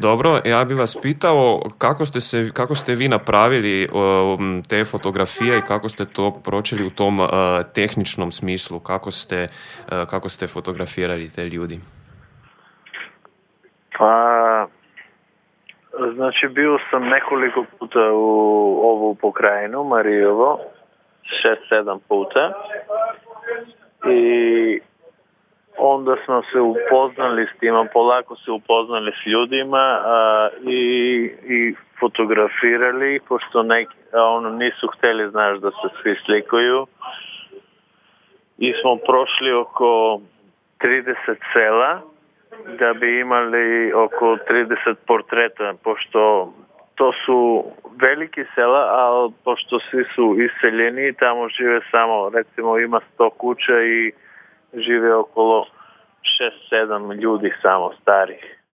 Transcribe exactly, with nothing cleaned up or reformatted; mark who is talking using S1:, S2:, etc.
S1: Dobro, ja bih vas pitao kako ste, se, kako ste vi napravili um, te fotografije i kako ste to pročeli u tom uh, tehničnom smislu, kako ste, uh, kako ste fotografirali te ljudi?
S2: Pa, znači bio sam nekoliko puta u ovu pokrajinu, Marijevo, šest, sedam puta i onda smo se upoznali s tima, polako se upoznali s ljudima a, i, i fotografirali, pošto neki, ono, nisu hteli, znaš, da se svi slikuju. I smo prošli oko trideset sela da bi imali oko trideset portreta, pošto to su veliki sela, ali pošto svi su iseljeni, tamo žive samo, recimo ima sto kuća i žive okolo šest sedam ljudi samo starih.